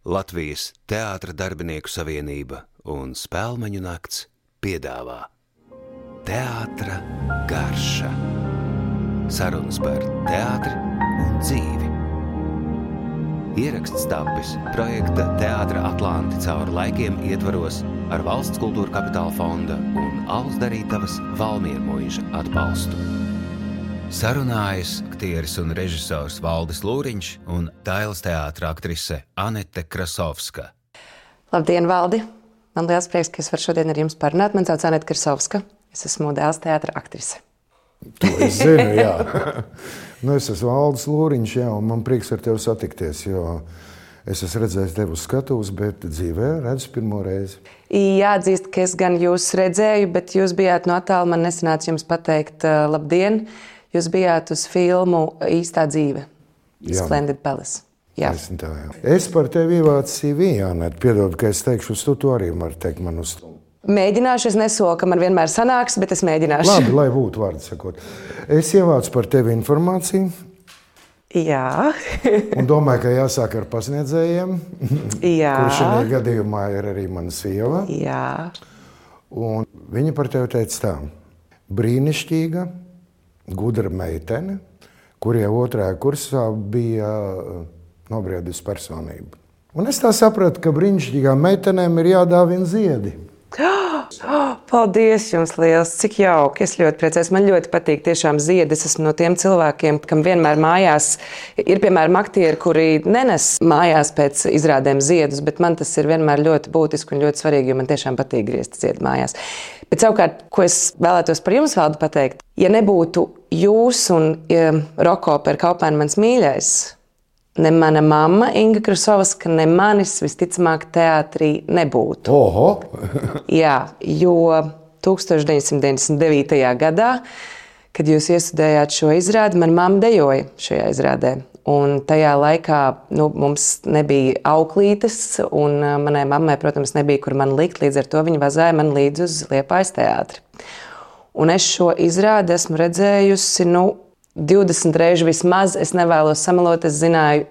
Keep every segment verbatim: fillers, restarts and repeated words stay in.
Latvijas Teātra darbinieku savienība un Spēlmeņu nakts piedāvā Teātra garša. Sarunas par teātri un dzīvi. Ieraksts tapis projekta Teātra Atlanti cauri laikiem ietvaros ar Valsts kultūra kapitāla fonda un Alus Darītavas Valmiermuiža atbalstu. Sarunājas aktieris un režisors Valdis Lūriņš un Dailes teātra aktrise Anete Krasovska. Labdien, Valdi! Man liels prieks, ka es varu šodien ar jums parunāt. Man sauc Anete Krasovska. Es esmu Dailes teātra aktrise. To es zinu, jā. Nu, es esmu Valdis Lūriņš, jā, un man prieks ar tevi satikties, jo es esmu redzējis tevi uz skatuves, bet dzīvē redzu pirmo reizi. Jāatzīst, ka es gan jūs redzēju, bet jūs bijāt no attāla, man nesanāca jums pateikt uh, labdien. Jūs bijāt uz filmu Īstā dzīve, jā. Splendid Palace. Jā. Tā, jā. Es par tevi ievācu C V, Anete, piedod, ka es teikšu uz tu, tu arī var teikt man uz tu. Mēģināšu, es nesolu, ka man vienmēr sanāks, bet es mēģināšu. Labi, lai būtu vārdu sakot. Es ievācu par tevi informāciju. Jā. Un domāju, ka jāsāk ar pasniedzējiem. Jā. Kurš šajā gadījumā ir arī mana sieva. Jā. Un viņa par tevi teica tā. Brīnišķīga, gudra meitene, kur jau otrajā kursā bija nobriedusi personība. Un es tā sapratu, ka brīnišķīgām meitenēm ir jādāvina ziedi. Paldies jums liels, cik jauki, es ļoti priecājos, man ļoti patīk tiešām ziedi, es esmu no tiem cilvēkiem, kam vienmēr mājās ir, piemēram, aktieri, kuri nenes mājās pēc izrādēm ziedus, bet man tas ir vienmēr ļoti būtiski un ļoti svarīgi, jo man tiešām patīk griezt ziedu mājās. Bet savukārt, ko es vēlētos par jums, Valdi, pateikt, ja nebūtu jūs un ja Roko par Kaupēnu mans mīļais, ne mana mamma Inga Krasovska, ne manis visticamāk teātrī nebūtu. Oho! Jā, jo tūkstoš deviņsimt deviņdesmit devītajā gadā, kad jūs iestudējāt šo izrādi, man mamma dejoja šajā izrādē. Un tajā laikā nu, mums nebija auklītes, un manai mammai, protams, nebija, kur man likt, līdz ar to viņa vazāja man līdz uz Liepājas teātri. Un es šo izrādi esmu redzējusi, nu, divdesmit reižu vismaz, es nevēlos samalot, es zināju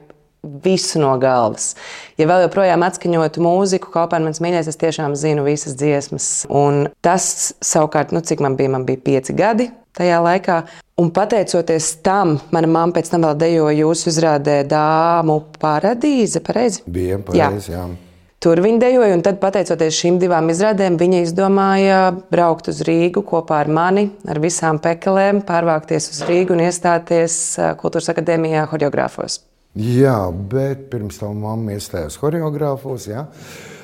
visu no galvas. Ja vēl joprojām atskaņotu mūziku, Kaupēnu mans mīļais, es tiešām zinu visas dziesmas. Un tas savukārt, nu cik man bija, man bija pieci gadi tajā laikā. Un pateicoties tam, mana mamma pēc tam vēl dejoja jūsu izrādē Dāmu paradīze, pareizi? Bija pareizi, jā. jā. Tur viņa dejoja, un tad, pateicoties šīm divām izrādēm, viņa izdomāja braukt uz Rīgu kopā ar mani, ar visām pekelēm, pārvākties uz Rīgu un iestāties Kultūras akadēmijā horeogrāfos. Jā, bet pirms tam mamma iestājās horeogrāfos, jā.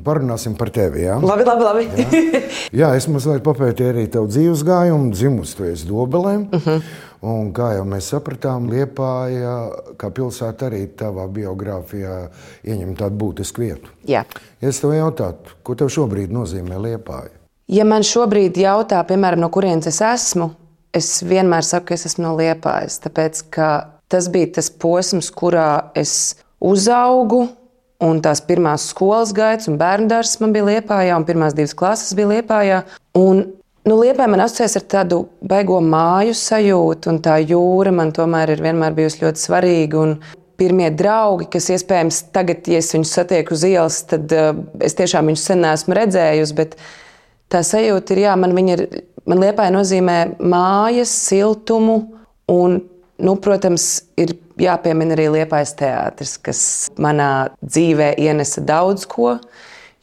Parunāsim par tevi, jā? Labi, labi, labi. Jā, jā es mazliet papētīju arī tavu dzīves gājumu, dzimusi tu esi Dobelēm. Uh-huh. Un kā jau mēs sapratām, Liepāja, kā pilsēta arī tavā biogrāfijā ieņem tādu būtisku vietu. Jā. Ja es tev jautātu, ko tev šobrīd nozīmē Liepāja? Ja man šobrīd jautā, piemēram, no kurienes es esmu, es vienmēr saku, ka es esmu no Liepājas, tāpēc, ka tas bija tas posms, kurā es uzaugu, un tās pirmās skolas gaitas un bērndārs man bija Liepājā, un pirmās divas klases bija Liepājā. Un Nu, Liepāja man asociēs ar tādu baigo māju sajūtu, un tā jūra man tomēr ir vienmēr bijusi ļoti svarīga. Un pirmie draugi, kas iespējams tagad, ja es viņus satieku uz ielas, tad uh, es tiešām viņus sen neesmu redzējusi, bet tā sajūta ir, jā, man, ir, man Liepāja nozīmē mājas, siltumu, un, nu, protams, ir jāpiemina arī Liepājas teātris, kas manā dzīvē ienesa daudz ko.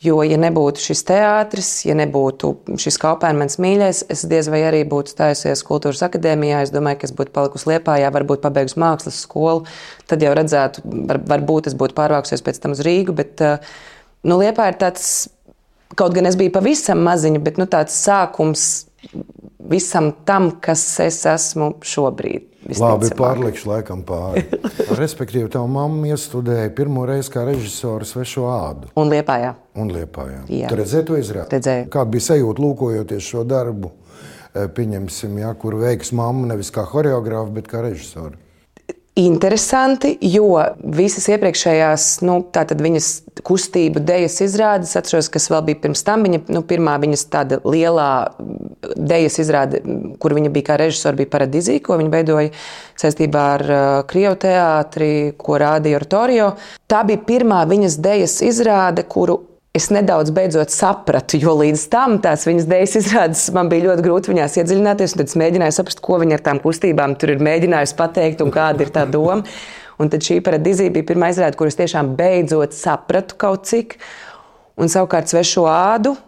Jo, ja nebūtu šis teātris, ja nebūtu šis Kaupēnu mans mīļais, es diez vai arī būtu stājusies Kultūras akadēmijā. Es domāju, ka es būtu palikusi Liepājā, varbūt pabeigusi mākslas skolu. Tad jau redzētu, var, varbūt es būtu pārvākusies pēc tam uz Rīgu. Bet nu, Liepāja ir tāds, kaut gan es biju pavisam maziņa, bet nu, tāds sākums visam tam, kas es esmu šobrīd. Labi, pārlikšu laikam pāri. Respektīvi, tavu mamma iestudēja pirmo reizi kā režisora Svešo ādu. Un Liepājā. Un Liepājā. Jā. Tu redzēji to izrādi? Redzēju. Kāda bija sajūta lūkojoties šo darbu, pieņemsim, ja, kur veiks mamma nevis kā horeogrāfa, bet kā režisora? interesanti, jo visas iepriekšējās, nu, tātad viņas kustību dejas izrādes, atceros, kas vēl bija pirms tam, viņa, nu, pirmā viņas tāda lielā dejas izrāde, kur viņa bija kā režisori, bija Paradizija, ko viņa veidoja saistībā ar uh, Krievu teātri, ko rādīja Oratorio. Tā bija pirmā viņas dejas izrāde, kuru es nedaudz beidzot sapratu, jo līdz tam tās viņas dejas izrādes man bija ļoti grūti viņās iedziļināties, un tad es mēģināju saprast, ko viņa ar tām kustībām tur ir mēģinājusi pateikt un kāda ir tā doma. Un tad šī Paradizija bija pirmā izrāde, kur es tiešām beidzot sapratu kaut cik. Un savukārt Svešo ādu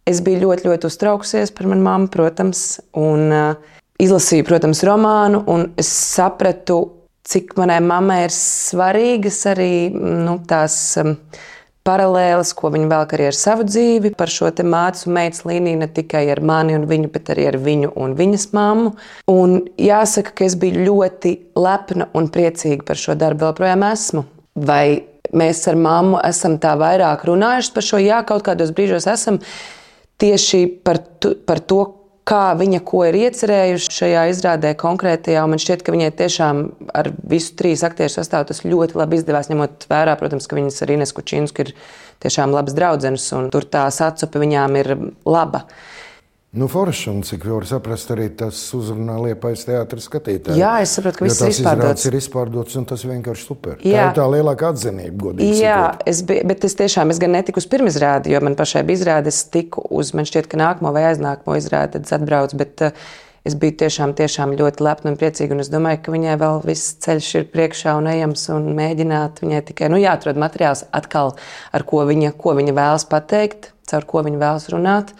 es biju ļoti, ļoti uztraukusies par manu mammu, protams, un uh, izlasīju, protams, romānu, un es sapratu, cik manai mammai ir svarīgas arī nu, tās um, paralēles, ko viņa velk arī ar savu dzīvi, par šo te mātes un meitas līniju, ne tikai ar mani un viņu, bet arī ar viņu un viņas mammu. Un jāsaka, ka es biju ļoti lepna un priecīga par šo darbu, vēl projām esmu. Vai mēs ar mammu esam tā vairāk runājuši par šo? Jā, kaut kādos brīžos esam tieši par, tu, par to, kā viņa ko ir iecerējuši šajā izrādē konkrētajā, un man šķiet, ka viņai tiešām ar visu trīs aktieru sastāvu tas ļoti labi izdevās, ņemot vērā, protams, ka viņas ar Inesu Kučinsku ir tiešām labas draudzenes, un tur tā sacupe viņām ir laba. Nu, forši, un cik var saprast, arī tas uzrunā Liepājas teātra skatītāju. Jā, es saprotu, ka viss ir izpārdots. ir izpārdots, un tas vienkārši super. Jā. Tā ir tā lielākā atzinība, godīgi Jā, sakot. es biju, bet es tiešām, es gan netiku uz pirmizrādi, jo man pašai bija izrāde, es tiku uz, man šķiet, ka nākamo vai aiznākamo izrādi, tad es atbraucu, bet uh, es biju tiešām, tiešām ļoti lepna un priecīga, un es domāju, ka viņai vēl viss ceļš ir priekšā un ejams, un mēģināt viņai tikai, nu, jāatrod materiāls atkal, ar ko viņa, ko viņa vēlas pateikt, caur ko viņa vēlas runāt.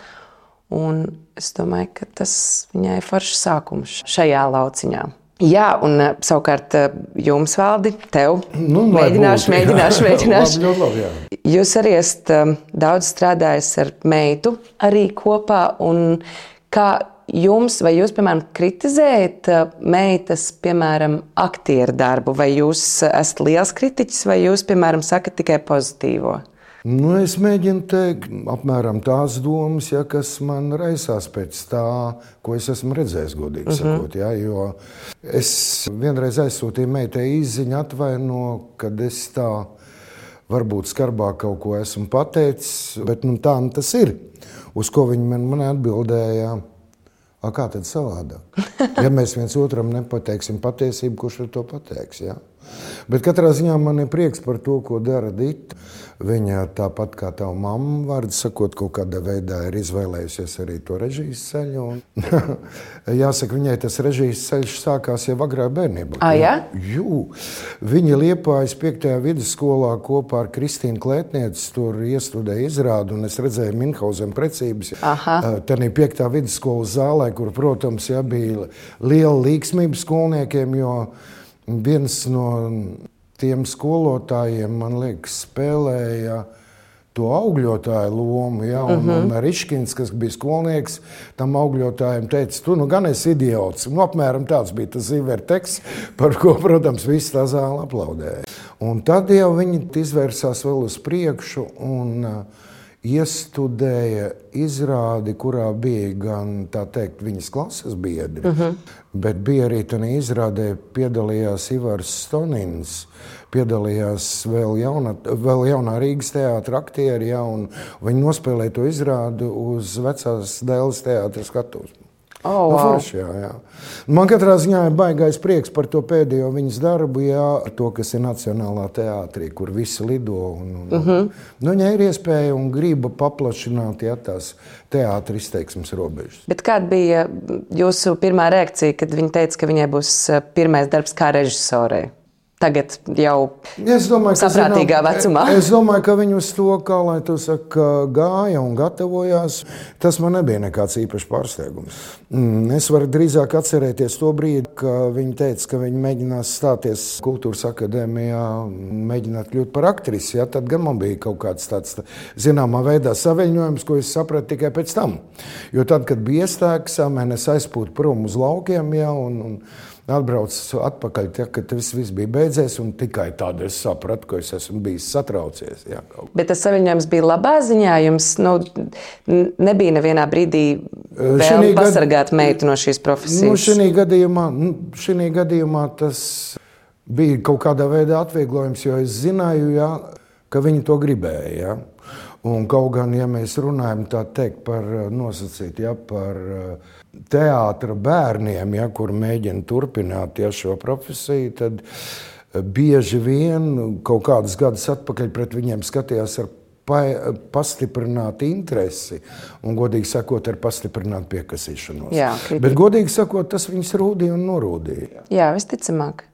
Un es domāju, ka tas viņai ir foršs sākums šajā lauciņā. Jā, un savukārt jums, Valdi, tev Nu, mēģināšu, būtu, mēģināšu, jā. mēģināšu. Labi, labi, jā. Jūs arī esat daudz strādājis ar meitu arī kopā, un kā jums, vai jūs, piemēram, kritizējat meitas, piemēram, aktieru darbu, vai jūs esat liels kritiķis, vai jūs, piemēram, sakat tikai pozitīvo? Nu, es mēģinu teikt apmēram tās domas, ja, kas man raisās pēc tā, ko es esmu redzējis, godīgi uh-huh. sakot. Ja, jo es vienreiz aizsūtīju meitai īsziņu atvaino, kad es tā varbūt skarbāk kaut ko esmu pateicis, bet nu, tā nu tas ir. Uz ko viņi man, man atbildēja, a, kā tad savādāk? Ja mēs viens otram nepateiksim patiesību, kurš ar to pateiks? Ja? Bet katrā ziņā man ir prieks par to, ko dara Dita. Viņa tāpat kā tava mamma, vārdu sakot, kaut kādā veidā ir izvēlējusies arī to režijas ceļu. Un jāsaka, viņai tas režijas ceļš sākās jau agrā bērnībā. Ah, jā? Jū. Viņa Liepājas piektajā vidusskolā kopā ar Kristīnu Klētnieci tur iestudēja izrādu, un es redzēju Minhauzena precības. Tanī piektā vidusskolas zālē, kur, protams, jā, bija liela līksmība skolniekiem, jo viens no tiem skolotājiem, man liekas, spēlēja to augļotāju lomu, ja, un, uh-huh. un Riškins, kas bija skolnieks, tam augļotājiem teica, tu nu gan esi idiots. Nu, apmēram tāds bija tas ziverteksts, par ko, protams, viss tā zāle aplaudēja. Un tad jau viņi izvērsās vēl uz priekšu un uh, iestudēja izrādi, kurā bija gan, tā teikt, viņas klases biedri, uh-huh. bet bija arī tādā izrādē piedalījās Ivars Stonins, piedalījās vēl, jauna, vēl jaunā Rīgas teātra aktieri, ja, un viņi nospēlēja to izrādu uz vecās Dēles teātra skatuves. Oh, wow. Nu, forši, jā, jā. Man katrā ziņā ir baigais prieks par to pēdējo viņas darbu, jā, to, kas ir Nacionālā teātrī, kur visi lido. Un, un, uh-huh. nu, viņai ir iespēja un griba paplašināt, jā, tās teātra izteiksmes robežas. Bet kāda bija jūsu pirmā reakcija, kad viņa teica, ka viņai būs pirmais darbs kā režisorei? Tagad jau domāju, saprātīgā zinām, vecumā. Es domāju, ka viņi uz to, kā lai tu saka, gāja un gatavojās. Tas man nebija nekāds īpašs pārsteigums. Es varu drīzāk atcerēties to brīdi, ka viņi teica, ka viņi mēģinās stāties Kultūras akadēmijā, mēģināt kļūt par aktrisi. Ja? Tad gan man bija kaut kāds tāds zināmā veidā saviļņojums, ko es sapratu tikai pēc tam. Jo tad, kad bija iestāks, es aizpūtu prom uz laukiem, ja, un, un atbraucu atpakaļ, ja, kad viss, viss bija beidzies, un tikai tādu es sapratu, ka es esmu bijis satraucies. Ja, Bet tas saviņojums bija labā ziņā? Jums nu, nebija nevienā brīdī vēl pasargāt gad... meitu no šīs profesijas? Nu, šī gadījumā, šī gadījumā tas bija kaut kādā veidā atvieglojums, jo es zināju, ja, ka viņi to gribēja. Ja. Un kaut gan, ja mēs runājam tā teikt par nosacīt, ja, par teātra bērniem, ja, kur mēģina turpināt ja, šo profesiju, tad bieži vien kaut kādus gadus atpakaļ pret viņiem skatījās ar pastiprināt interesi un, godīgi sakot, ar pastiprināt piekasīšanos. Jā, bet, godīgi sakot, tas viņus rūdīja un norūdīja. Jā, visticamāk.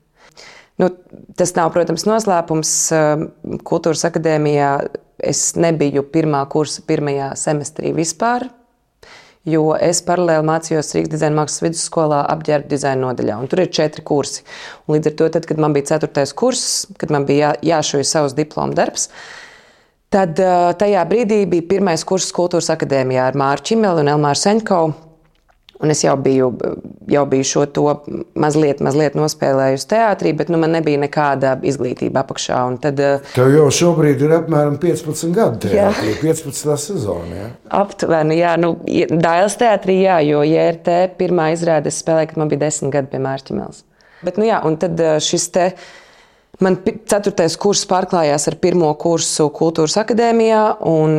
Nu, tas nav, protams, noslēpums. Kultūras akadēmijā es nebiju pirmā kursa pirmajā semestrī vispār, jo es paralēli mācījos Rīgas dizaina mākslas vidusskolā apģērba dizaina nodaļā. Un tur ir četri kursi. Un līdz ar to, tad, kad man bija ceturtais kurs, kad man bija jā, jāšauj savs diploma darbs, tad tajā brīdī bija pirmais kurs Kultūras akadēmijā ar Māru Čimeli un Elmāru Seņkovu. Un es jau biju, jau biju šo to mazliet, mazliet nospēlējusi teātrī, bet nu, man nebija nekāda izglītība apakšā. Un tad, tev jau šobrīd ir apmēram piecpadsmit gadi teātrī, piecpadsmitā sezona, jā? Aptuveni, jā. Nu, Dailes teātrī, jā, jo J R T pirmā izrāde es spēlēju, kad man bija desmit gadi pie Māra Čimeles. Bet, nu jā, un tad šis te... Man ceturtais kurs pārklājās ar pirmo kursu Kultūras akadēmijā, un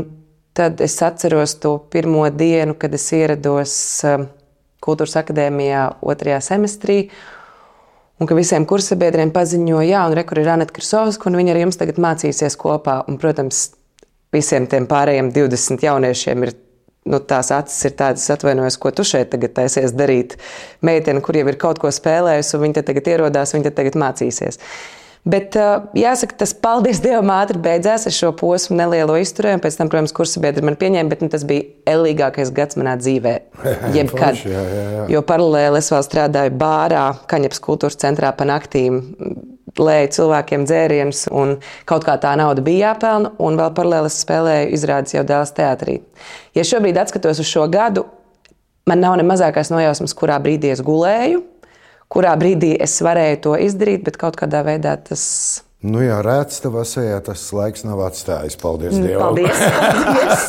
tad es atceros to pirmo dienu, kad es ierados Kultūras akadēmijā otrajā semestrī, un ka visiem kursabiedriem paziņoja, jā, un re, kur ir Aneta Krasovska, un viņa ar jums tagad mācīsies kopā. Un, protams, visiem tiem pārējiem divdesmit jauniešiem ir, nu, tās acis ir tādas, atvainojos, ko tu šeit tagad taisies darīt. Meitene, kur jau ir kaut ko spēlējusi, un viņa te tagad ierodās, viņa te tagad mācīsies. Bet jāsaka, tas paldies Dievam ātri beidzās. Es šo posmu nelielo izturēju, un pēc tam, protams, kursabiedri mani pieņēma, bet nu, tas bija ellīgākais gads manā dzīvē. Jebkad. Jā, jā, jā. Jo paralēli es vēl strādāju bārā, Kaņepes kultūras centrā pa naktīm, lēju cilvēkiem dzērienus, un kaut kā tā nauda bija jāpelna, un vēl paralēli es spēlēju izrādes jau Dailes teātrī. Ja šobrīd atskatos uz šo gadu, man nav ne mazākais nojausmas, kurā brīdī es gulēju, kurā brīdī es varēju to izdarīt, bet kaut kādā veidā tas... Nu jā, rēts tavā sejā tas laiks nav atstājis. Paldies Dievam. Paldies. Paldies.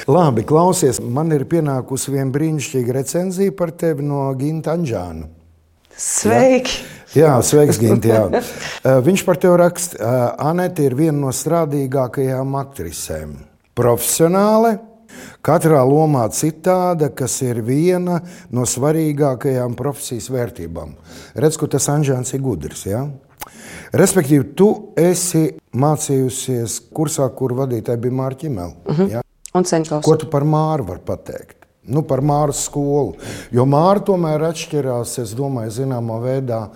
Labi, klausies, man ir pienākusi viena brīnišķīga recenzija par tevi no Ginta Anģāna. Sveiki! Jā, jā sveiks, Ginti, jā. Viņš par tevi raksta, Aneta ir viena no strādīgākajām aktrisēm. Profesionāle, katrā lomā citāda, kas ir viena no svarīgākajām profesijas vērtībām. Redz, ka tas Anģāns ir gudrs, jā? Respektīvi, tu esi mācījusies kursā, kur vadītāji bija Māra Čimele. Uh-huh. Ja? Un Seņkovs. Ko tu par Māru var pateikt? Nu, par Māras skolu. Jo Māra tomēr atšķirās, es domāju, zināmā veidā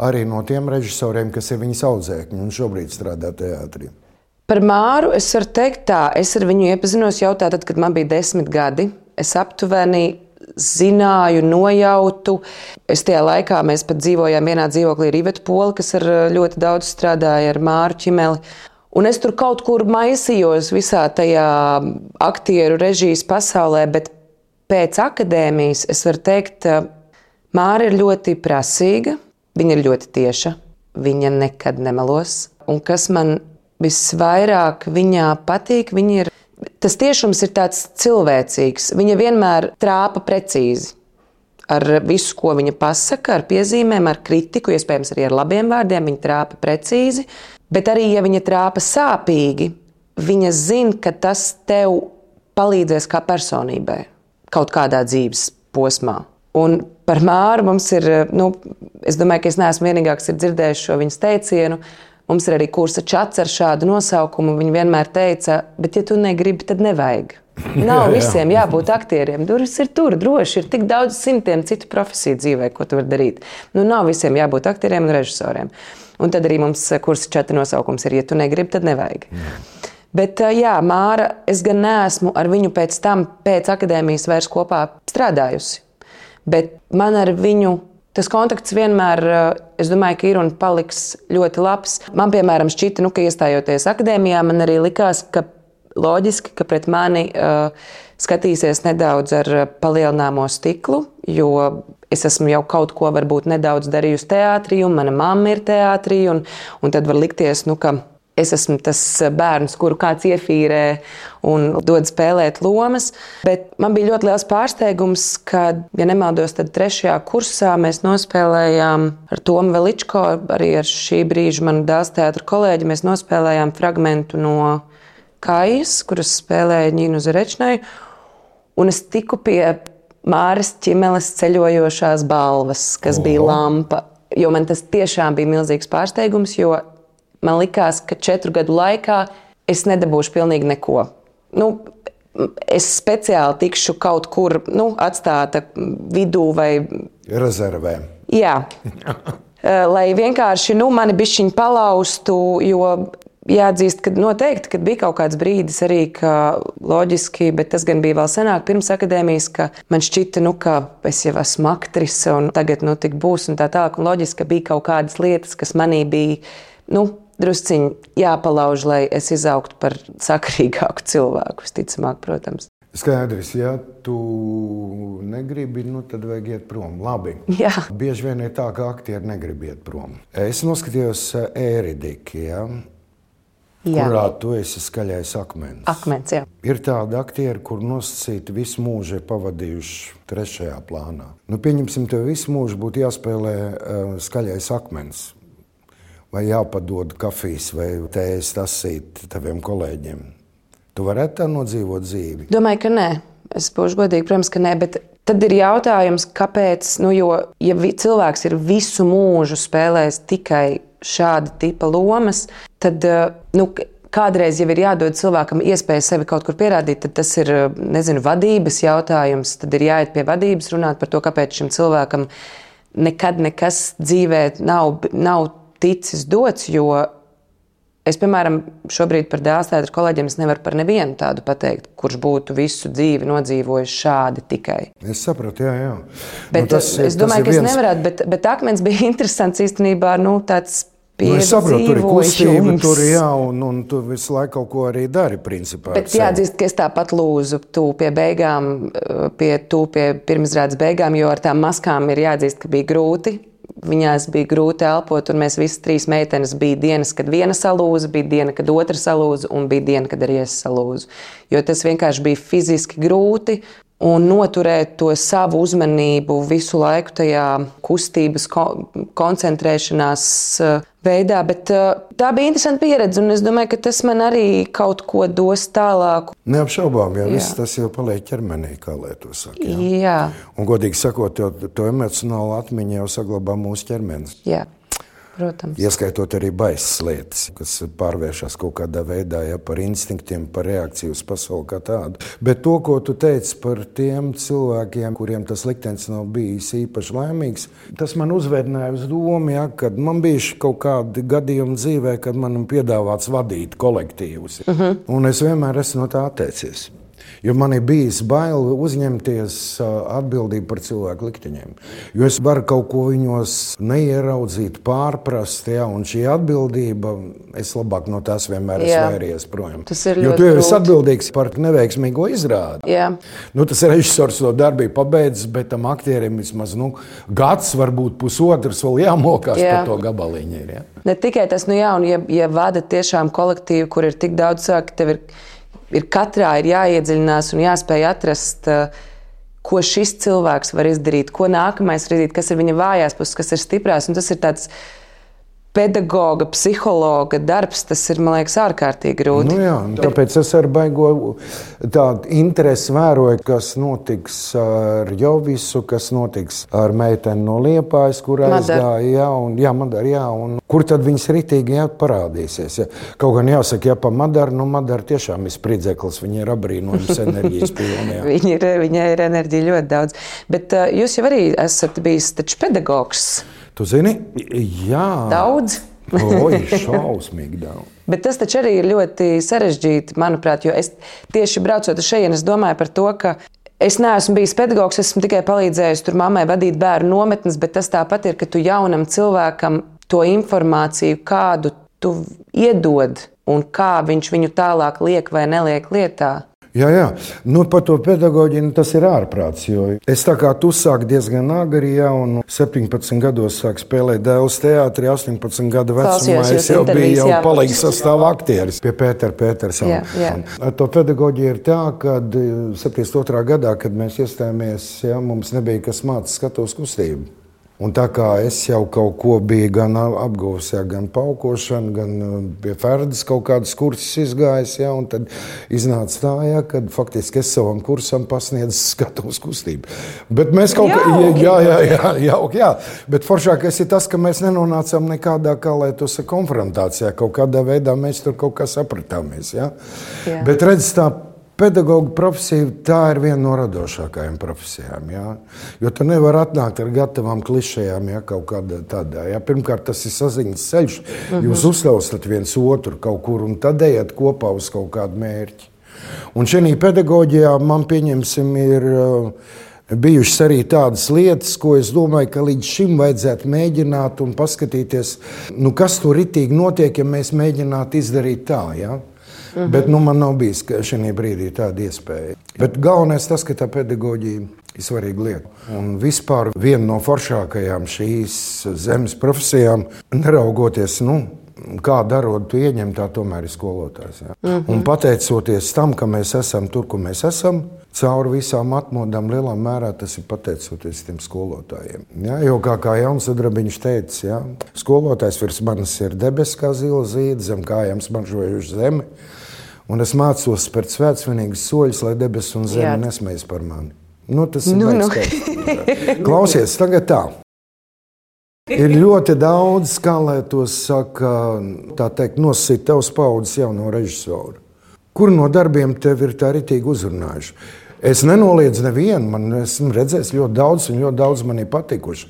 arī no tiem režisoriem, kas ir viņas audzēkņi un šobrīd strādā teātrī. Par Māru es varu teikt tā, es ar viņu iepazinos jau tātad, kad man bija desmit gadi. Es aptuveni zināju, nojautu. Es tajā laikā mēs pat dzīvojām vienā dzīvoklī ar Ivetu Poli, kas ar ļoti daudz strādāja ar Māru Čimeli. Un es tur kaut kur maisījos visā tajā aktieru režijas pasaulē, bet pēc akadēmijas es varu teikt, Māra ir ļoti prasīga, viņa ir ļoti tieša, viņa nekad nemelos. Un kas man visvairāk viņā patīk, viņa ir tas tiešums ir tāds cilvēcīgs. Viņa vienmēr trāpa precīzi ar visu, ko viņa pasaka, ar piezīmēm, ar kritiku, iespējams arī ar labiem vārdiem. Viņa trāpa precīzi, bet arī, ja viņa trāpa sāpīgi, viņa zina, ka tas tev palīdzēs kā personībai kaut kādā dzīves posmā. Un par Māru mums ir, nu, es domāju, ka es neesmu vienīgā, kas ir dzirdējis šo viņas teicienu. Mums ir arī kursa čats ar šādu nosaukumu. Viņa vienmēr teica, bet ja tu negribi, tad nevajag. Nav visiem jābūt aktieriem. Durvis ir tur, droši. Ir tik daudz simtiem citu profesiju dzīvē, ko tu vari darīt. Nu, nav visiem jābūt aktieriem un režisoriem. Un tad arī mums kursa čata nosaukums ir, ja tu negribi, tad nevajag. Jā. Bet jā, Māra, es gan neesmu ar viņu pēc tam, pēc akadēmijas vairs kopā strādājusi. Bet man ar viņu tas kontakts vienmēr, es domāju, ka ir un paliks ļoti labs. Man, piemēram, šķita, nu, ka iestājoties akadēmijā, man arī likās, ka loģiski, ka pret mani uh, skatīsies nedaudz ar palielināmo stiklu, jo es esmu jau kaut ko varbūt nedaudz darījusi teātrī, un mana mamma ir teātrī, un, un tad var likties, nu, ka es esmu tas bērns, kuru kāds iefīrē un dod spēlēt lomas. Bet man bija ļoti liels pārsteigums, kad, ja nemaldos, tad trešajā kursā mēs nospēlējām ar Tomu Veličko, arī ar šī brīža manu dēls teātra kolēģi, mēs nospēlējām fragmentu no Kājas, kuras spēlēja Ņīnu Zarečnai, un es tiku pie Māras Ķimeles ceļojošās balvas, kas Oho. bija lampa, jo man tas tiešām bija milzīgs pārsteigums, jo man likās, ka četru gadu laikā es nedabūšu pilnīgi neko. Nu, es speciāli tikšu kaut kur nu, atstāta vidū vai... Rezervē. Jā. Lai vienkārši nu, mani bišķiņi palaustu, jo jāatzīst, ka noteikti, kad bija kaut kāds brīdis arī, ka loģiski, bet tas gan bija vēl senāk pirms akadēmijas, ka man šķita, nu, ka es jau esmu aktrise un tagad nu, tik būs un tā tālāk. Un loģiski, ka bija kaut kādas lietas, kas manī bija, nu, drusciņi jāpalauž, lai es izaugtu par sakarīgāku cilvēku, visticamāk, protams. Skaidrs, ja tu negribi, nu tad vajag iet prom. Labi. Jā. Bieži vien ir tā, ka aktieri negrib iet prom. Es noskatījos Ēridiki, ja, kurā tu esi skaļais akmens. Akmens, jā. Ir tādi aktieri, kur nosacīti visu mūžu ir pavadījuši trešajā plānā. Nu, pieņemsim, tev visu mūžu būtu jāspēlē uh, skaļais akmens. Vai jāpadod kafijas vai tējas tasīt taviem kolēģiem. Tu varētu tā nodzīvot dzīvi? Domāju, ka nē. Es būšu godīgi, protams, ka nē, bet tad ir jautājums, kāpēc, nu, jo, ja vi, cilvēks ir visu mūžu spēlējis tikai šāda tipa lomas, tad, nu, kādreiz jau ir jādod cilvēkam iespēju sevi kaut kur pierādīt, tad tas ir, nezinu, vadības jautājums, tad ir jāiet pie vadības, runāt par to, kāpēc šim cilvēkam nekad nekas dzīvē nav, nav ticis dots, jo es, piemēram, šobrīd par dēls teātra kolēģiem es nevaru par nevienu tādu pateikt, kurš būtu visu dzīvi nodzīvojis šādi tikai. Es sapratu, jā, jā. Bet nu, tas, es domāju, ka viens... es nevarētu, bet, bet akmens bija interesants īstenībā, nu, tāds piedzīvojums. Nu, es saprotu, tur ir kustība, tur jā, un, un tu visu laiku kaut ko arī dari, principā. Bet jāatzīst, ka es tāpat lūzu tū pie beigām, pie tū pie pirmizrādes beigām, jo ar tām maskām ir jāatzīst, ka bija grūti. Viņās bija grūti elpot, un mēs visas trīs meitenes bija dienas, kad viena salūza, bija diena, kad otra salūza, un bija diena, kad arī es salūzu. Jo tas vienkārši bija fiziski grūti, un noturēt to savu uzmanību visu laiku tajā kustības koncentrēšanās veidā. Bet tā bija interesanta pieredze, un es domāju, ka tas man arī kaut ko dos tālāk. Neapšaubām, jo viss tas jau paliek ķermenī, kā lai to saka. Jā. Jā. Un godīgi sakot, to, to emocionālu atmiņu jau saglabā mūsu ķermenis. Jā. Protams. Ieskaitot arī baisas lietas, kas pārvēršas kaut kādā veidā, ja, par instinktiem, par reakciju uz pasauli kā tādu. Bet to, ko tu teici par tiem cilvēkiem, kuriem tas liktenis nav bijis īpaši laimīgs, tas man uzvedināja uz domu, ja, kad man bija kaut kādi gadījumi dzīvē, kad man piedāvāts vadīt kolektīvus. Uh-huh. Un es vienmēr esmu no tā atteicies. Jo man ir bijis bail uzņemties atbildību par cilvēku likteņiem. Jo es varu kaut ko viņos neieraudzīt, pārprast, ja, un šī atbildība, es labāk no tās vienmēr svairies projām. Jo tu jau esi atbildīgs par neveiksmīgo izrādi. Jā. Nu, tas režisors to darbību pabeidzis, bet tam aktierim vismaz nu, gads, varbūt pusotrs vēl jāmokās jā. Par to gabaliņu. Ir, ja? Ne tikai tas, nu jā, un ja, ja vada tiešām kolektīvu, kur ir tik daudz cilvēku, tev ir Ir katrā ir jāiedziļinās un jāspēj atrast, ko šis cilvēks var izdarīt, ko nākamais var izdarīt, kas ir viņa vājās puses, kas ir stiprās. Un tas ir tāds pedagoga, psihologa darbs, tas ir, man liekas, ārkārtīgi grūti. Nu jā, tāpēc es ar baigo tādu interesi vēroju, kas notiks ar Jovisu, kas notiks ar meiteni no Liepājas, kur aizgāja, jā, un, jā, Madara, jā, un kur tad viņas ritīgi jā, parādīsies. Jā. Kaut gan jāsaka, ja pa Madaru, nu Madara tiešām ir spridzeklis, viņa ir abrīnojums enerģijas pilnajā. viņa, ir, viņa ir enerģija ļoti daudz. Bet uh, jūs jau arī esat bijis taču pedagogs. Tu zini? Jā. Daudz? Oi, šausmīgi daudz. Bet tas taču arī ir ļoti sarežģīti, manuprāt, jo es tieši braucot uz šejienes domāju par to, ka es neesmu bijis pedagogs, esmu tikai palīdzējis tur mammai vadīt bērnu nometnes, bet tas tāpat ir, ka tu jaunam cilvēkam to informāciju, kādu tu iedod un kā viņš viņu tālāk liek vai neliek lietā. Jā, jā. Nu, par to pedagoģiju tas ir ārprāts. Es tā kā tu sāki diezgan agri, ja, un septiņpadsmit gados sāku spēlēt dēls teātrī, astoņpadsmit gadu vecumā es jau biju jau palīgs sastāvā aktieris pie Pētera Petersona. Ar to pedagoģiju ir tā, ka septiņdesmit otrā gadā, kad mēs iestājāmies, ja, mums nebija kas māca skatuves kustību. Un tā kā es jau kaut ko biju gan apguvis, ja, gan paukošanu, gan pie Ferdas kaut kādas kursus izgājis, ja, un tad iznāca tā, ja, kad faktiski es savam kursam pasniedzu skatuves kustību. Bet mēs kaut kā, jā, jā, jā, jā, jā, bet foršākais ir tas, ka mēs nenonācām nekādā, kā lai to saka, konfrontācijā, kaut kādā veidā mēs tur kaut kā sapratāmies, ja. Jā. Bet redz tā, pedagoga profesija, tā ir viena no radošākajām profesijām. Ja? Jo tu nevar atnākt ar gatavām klišejām, ja, kaut kādā tādā. Ja? Pirmkārt, tas ir saziņas ceļš. Mm-hmm. Jūs uzklausat viens otru kaut kur un tad ejat kopā uz kaut kādu mērķi. Un šajā pedagoģijā man, pieņemsim, ir uh, bijušas arī tādas lietas, ko es domāju, ka līdz šim vajadzētu mēģināt un paskatīties, nu, kas tur ritīgi notiek, ja mēs mēģinātu izdarīt tā, ja? Mm-hmm. Bet nu, man nav bijis šajā brīdī tāda iespēja. Bet galvenais tas, ka tā pedagoģija ir svarīga lieta. Un vispār viena no foršākajām šīs zemes profesijām, neraugoties, nu, kādu arodu tu ieņem, tā tomēr ir skolotājs. Ja? Mm-hmm. Un pateicoties tam, ka mēs esam tur, kur mēs esam, cauri visām atmodām lielā mērā tas ir pateicoties tiem skolotājiem. Ja? Jo kā, kā Jauns Sudrabiņš teica, ja? Skolotājs virs manis ir debes kā zila zīde, zem kājām smaržojuši zemi. Un es mācos spērt svētsvinīgus soļus, lai debes un zeme Jā. Nesmējas par mani. Nu, tas ir nu, nu. Klausies, tagad tā. Ir ļoti daudz, kā lai to saka, tā teikt, nosīt tevs paudzes jauno režisoru. Kur no darbiem tev ir tā ritīgi uzrunājuši? Es nenoliedzu nevienu, man esmu redzējis ļoti daudz, un ļoti daudz man ir patikuši.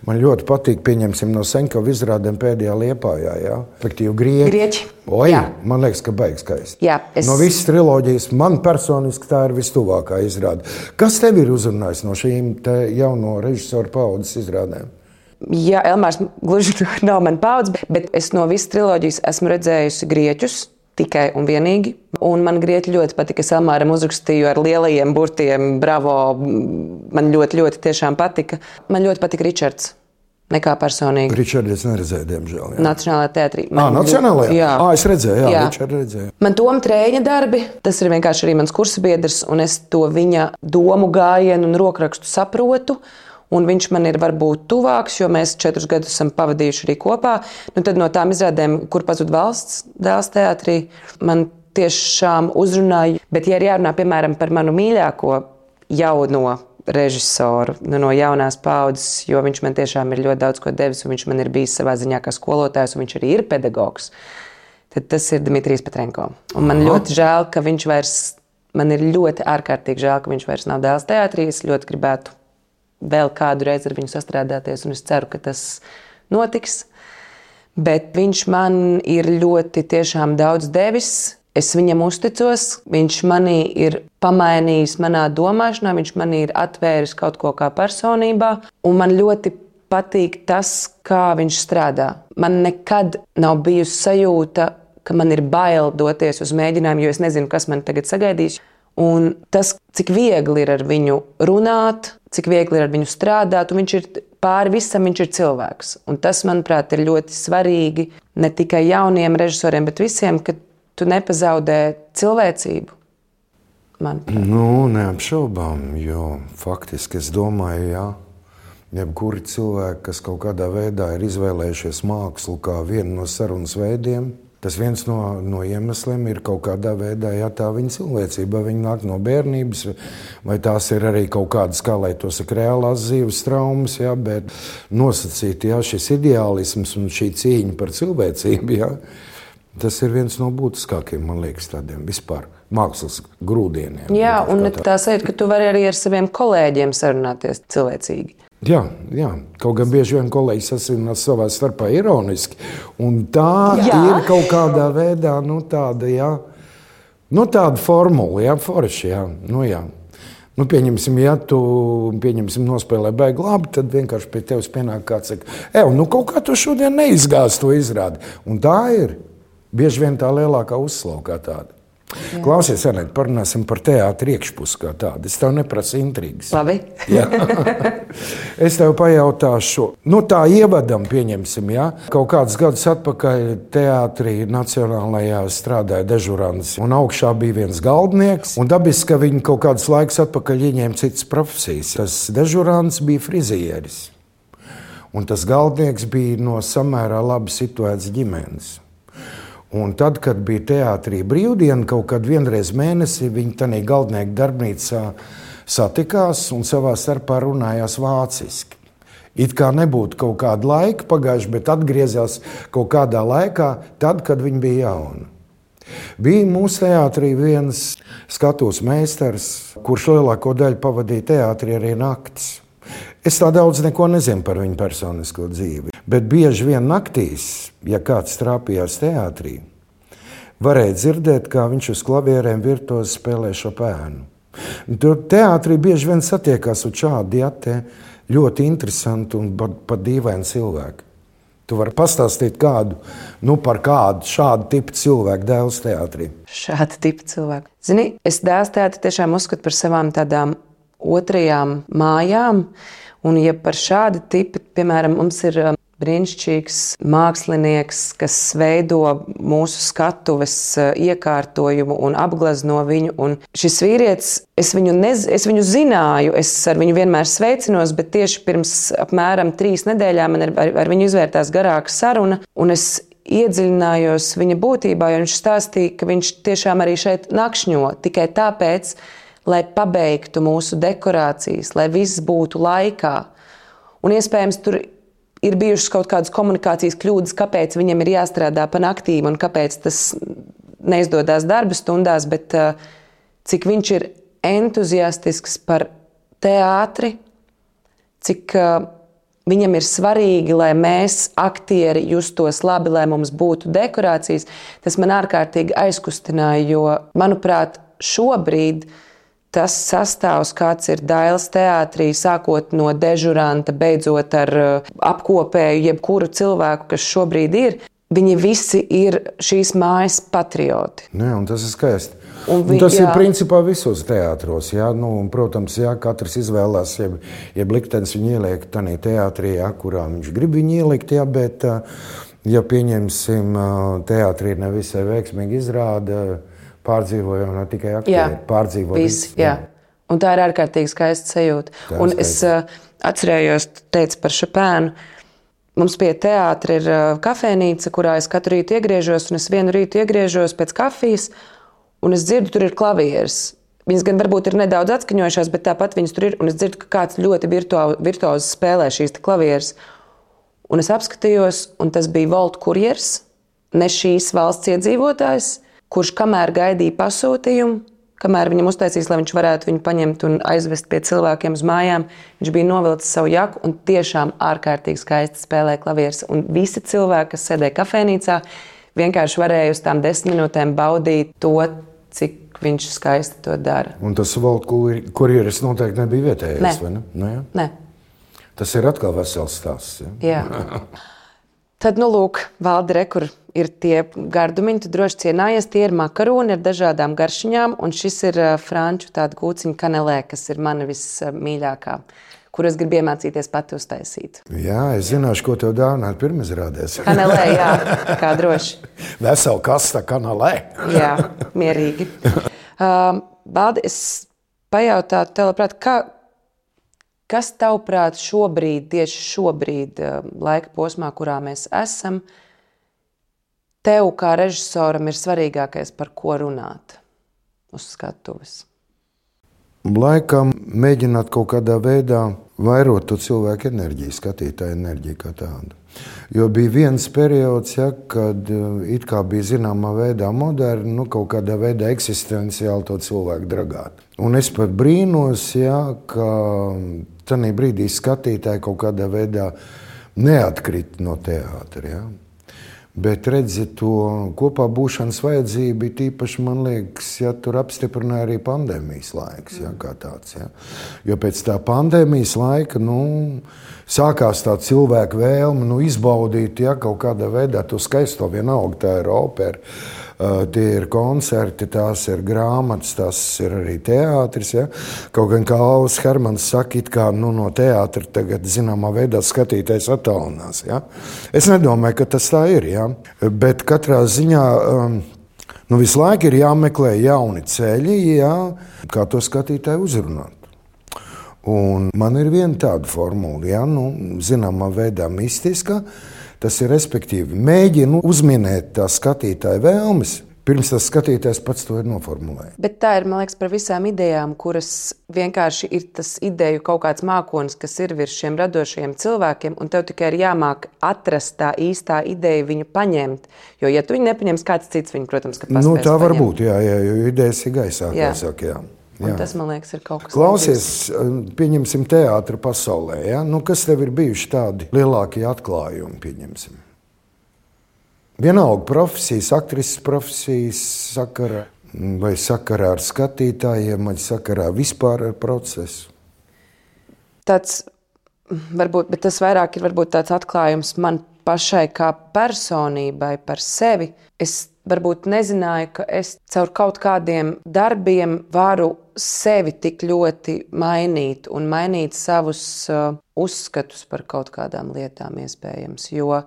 Man ļoti patīk, pieņemsim, no Seņkova izrādēm pēdējā Liepājā, jā. Efektīvi grieķi. Grieķi. Oi, jā. Man liekas, ka baigs skaisti. Jā, es... No visas triloģijas man personiski tā ir vistuvākā izrāde. Kas tev ir uzrunājis no šīm te jauno režisoru paudzes izrādēm? Jā, Elmārs gluži nav man paudze, bet es no visas triloģijas esmu redzējusi grieķus. Tikai un vienīgi. Un man grieķi ļoti patika. Es Elmāram uzrakstīju ar lielajiem burtiem, bravo, man ļoti, ļoti tiešām patika. Man ļoti patika Ričards, nekā personīgi. Ričardu es neredzēju, diemžēl. Jā. Nacionālajā teātrī. Ā, Nacionālajā? Jā. Ā, es redzēju, jā, jā. Ričardu redzēju. Man Toma Trēņa darbi, tas ir vienkārši arī mans kursabiedrs, un es to viņa domu gājienu un rokrakstu saprotu. Un viņš man ir varbūt tuvāks, jo mēs četrus gadus esam pavadījuši arī kopā. Nu, tad no tām izrādēm, kur pazud valsts dēls teātrī, man tiešām uzrunāja. Bet, ja ir jārunā, piemēram, par manu mīļāko jauno režisoru, nu, no jaunās paudzes, jo viņš man tiešām ir ļoti daudz ko devis, un viņš man ir bijis savā ziņā kā skolotājs, un viņš arī ir pedagogs, tad tas ir Dmitrijs Petrenko. Un man Aha. ļoti žēl, ka viņš vairs, man ir ļoti ārkārtīgi žēl, ka viņš vairs nav dēls teātrī. Es ļoti gribētu vēl kādu reizi ar viņu sastrādāties, un es ceru, ka tas notiks. Bet viņš man ir ļoti tiešām daudz devis. Es viņam uzticos. Viņš manī ir pamainījis manā domāšanā, viņš manī ir atvēris kaut ko kā personībā, un man ļoti patīk tas, kā viņš strādā. Man nekad nav bijusi sajūta, ka man ir bail doties uz mēģinājumu, jo es nezinu, kas man tagad sagaidīs. Un tas, cik viegli ir ar viņu runāt, cik viegli ir ar viņu strādāt, un viņš ir pāri visam, viņš ir cilvēks. Un tas, manuprāt, ir ļoti svarīgi ne tikai jauniem režisoriem, bet visiem, ka tu nepazaudē cilvēcību, manuprāt. Nu, neapšaubām, jo faktiski es domāju, jā, jebkuri cilvēki, kas kaut kādā veidā ir izvēlējušies mākslu kā vienu no sarunas veidiem, tas viens no, no iemesliem ir kaut kādā veidā, ja tā viņa cilvēcība, viņa nāk no bērnības, vai tās ir arī kaut kādas, kā lai to saka, reālās dzīves traumas, ja, bet nosacīt, ja, šis ideālisms un šī cīņa par cilvēcību, ja, tas ir viens no būtiskākiem, man liekas, tādiem vispār mākslas grūdieniem. Jā, un tā, tā sajūta, ka tu vari arī ar saviem kolēģiem sarunāties cilvēcīgi. Jā, jā, kaut gan bieži vien kolēģis sasinās savā starpā ironiski, un tā jā. Ir kaut kādā veidā, nu tāda, jā, nu tāda formula, jā, forši, jā, nu jā. Nu, pieņemsim, ja tu, pieņemsim, nospēlē baigi labi, tad vienkārši pie tevis pienāk kāds saka, ev, nu kaut kā tu šodien neizgāzi to izrādi, un tā ir bieži vien tā lielākā uzslaukā tāda. Jā. Klausies, Anēt, parunāsim par teātri iekšpusi kā tādu. Es tev neprasu intrigas. Labi. Es tev pajautāšu, nu tā ievadam pieņemsim, jā. Kaut kādus gadus atpakaļ teātrī Nacionālajā strādāja dežurants, un augšā bija viens galdnieks, un dabiski, ka viņi kaut kādus laikus atpakaļ ieņēma citas profesijas. Tas dežurants bija frizieris, un tas galdnieks bija no samērā labi situētas ģimenes. Un tad, kad bija teātrī brīvdiena, kaut kad vienreiz mēnesī viņi tādā galdnieka darbnīcā satikās un savā starpā runājās vāciski. It kā nebūtu kaut kāda laika pagājuši, bet atgriezās kaut kādā laikā, tad, kad viņi bija jauni. Bija mūsu teātrī viens skatuves meistars, kurš lielāko daļu pavadīja teātrī arī naktis. Es tā daudz neko nezinu par viņu personisko dzīvi, bet bieži vien naktīs, ja kāds trāpījās teātrī, varēja dzirdēt, kā viņš uz klavierēm virtuozi spēlē Šopēnu. Tur teātrī bieži vien satiekās uz šādi ja, ļoti interesanti un pat, pat dīvaini cilvēki. Tu vari pastāstīt kādu, nu par kādu šādu tipu cilvēku dēls teātrī. Šāda tipa cilvēku. Zini, es dēls teātri tiešām uzskatu par savām tādām otrajām mājām, un ja par šādu tipu, piemēram, mums ir brīnišķīgs mākslinieks, kas veido mūsu skatuves iekārtojumu un apglezno viņu, un šis vīrietis, es viņu, nez, es viņu zināju, es ar viņu vienmēr sveicinos, bet tieši pirms apmēram trīs nedēļām man ar, ar viņu izvērtās garāka saruna, un es iedziļinājos viņa būtībā, jo viņš stāstīja, ka viņš tiešām arī šeit nakšņo, tikai tāpēc, lai pabeigtu mūsu dekorācijas, lai viss būtu laikā. Un iespējams, tur ir bijušas kaut kādas komunikācijas kļūdas, kāpēc viņam ir jāstrādā pa naktīm un kāpēc tas neizdodas darba stundās, bet uh, cik viņš ir entuziastisks par teātri, cik uh, viņam ir svarīgi, lai mēs, aktieri, justos labi, lai mums būtu dekorācijas, tas man ārkārtīgi aizkustināja, jo, manuprāt, šobrīd tas sastāvs, kāds ir Dailes teātrī, sākot no dežuranta, beidzot ar apkopēju jebkuru cilvēku, kas šobrīd ir, viņi visi ir šīs mājas patrioti. Jā, un tas ir skaisti. Un vi, un tas jā. ir principā visos teātros. Jā, nu, un, protams, jā, katrs izvēlās, jeb, jeb liktenis viņu ieliek tādā teātrī, jā, kurā viņš grib viņu ielikt, jā, bet, ja pieņemsim, teātrī nevisai veiksmīgi izrāda, pārdzīvojam ne tikai aktieri, pārdzīvo visi. Jā. Un tā ir ārkārtīgi skaista sajūta. Un skaista. Es uh, atcerējos, teicu par Šopēnu. Mums pie teātra ir uh, kafejnīca, kurā es katru rītu iegriežos, un es vienu rītu iegriežos pēc kafijas, un es dzirdu, tur ir klavieres. Viņas gan varbūt ir nedaudz atskaņojušās, bet tāpat viņas tur ir, un es dzirdu, ka kāds ļoti virtuozi spēlē šīs klavieres. Un es apskatījos, un tas bija Volt kurjers, ne šīs valsts iedzīvotājs, kurš kamēr gaidīja pasūtījumu, kamēr viņam uztaisīs, lai viņš varētu viņu paņemt un aizvest pie cilvēkiem uz mājām, viņš bija novilcis savu jaku un tiešām ārkārtīgi skaisti spēlēja klavieres. Un visi cilvēki, kas sēdēja kafejnīcā, vienkārši varēja uz tām desmit minūtēm baudīt to, cik viņš skaisti to dara. Un tas Volt kurjeris noteikti nebija vietējais, ne. vai ne? Ne, ja? Nē. Tas ir atkal vesels stāsts. Ja? Jā. Tad, nu, lūk, Valdi, re, kur ir tie gardumiņi, tu droši cienājies, tie ir makaroni ar dažādām garšiņām, un šis ir uh, franču tāda kūciņa kanelē, kas ir mana vismīļākā, kur es gribu iemācīties pati uztaisīt. Jā, es zināšu, ko tev dāvināt pirmizrādēs. Kanelē, jā, kā droši. Vesela kasta kanelē. Jā, mierīgi. Uh, Valdi, es pajautātu tev, labprāt, kā, kas tavuprāt šobrīd, tieši šobrīd, laika posmā, kurā mēs esam, tev kā režisoram ir svarīgākais, par ko runāt uz skatuves? Laikam mēģināt kaut kādā veidā vairot to cilvēku enerģiju, skatītāju enerģiju kā tādu. Jo bija viens periods, ja, kad it kā bija zināmā veidā moderni, nu, kaut kādā veidā eksistenciāli to cilvēku dragāt. Un es pat brīnos, ja, ka tanī brīdī skatītāji kaut kādā veidā neatkrita no teātra. Ja. Bet redzi, to kopā būšanas vajadzība bija tīpaši, man liekas, ja tur apstiprināja arī pandēmijas laiks, ja, kā tāds. Ja. Jo pēc tā pandēmijas laika, nu, sākās tā cilvēku vēlme, nu, izbaudīt, ja, kaut kādā veidā to skaisto, vienalga tā ir opera, tie ir koncerti, tās ir grāmatas, tas ir arī teātris. Ja? Kaut gan, kā Alvis Hermans saka, it kā nu, no teātra tagad zināmā veidā skatītājs attālinās. Ja? Es nedomāju, ka tas tā ir, ja? Bet katrā ziņā um, nu, visu laiku ir jāmeklē jauni ceļi, ja? Kā to skatītāju uzrunāt. Un man ir viena tāda formula, ja? Nu, zināmā veidā mistiska. Tas ir respektīvi mēģinu uzminēt tā skatītāja vēlmes, pirms tas skatītājs pats to ir noformulējis. Bet tā ir, man liekas, par visām idejām, kuras vienkārši ir tas ideju kaut kāds mākonis, kas ir virs šiem radošajiem cilvēkiem, un tev tikai ir jāmāk atrast tā īstā ideja, viņu paņemt. Jo, ja tu viņu nepaņems, kāds cits viņu, protams, ka paspēs Nu, tā var paņemt. būt, jā, jā, jo idejas ir gaisā, kā saka, jā. Un tas, man liekas, ir kaut kas Klausies, pieņemsim teātra pasaulē. Ja? Nu, kas tev ir bijuši tādi lielākie atklājumi, pieņemsim? Vienalga profesijas, aktrises profesijas sakara, vai sakarā ar skatītājiem, vai sakarā vispār ar procesu? Tāds, varbūt, bet tas vairāk ir varbūt tāds atklājums man pašai kā personībai par sevi. Es varbūt nezināju, ka es caur kaut kādiem darbiem varu sevi tik ļoti mainīt un mainīt savus uh, uzskatus par kaut kādām lietām iespējams. Jo uh,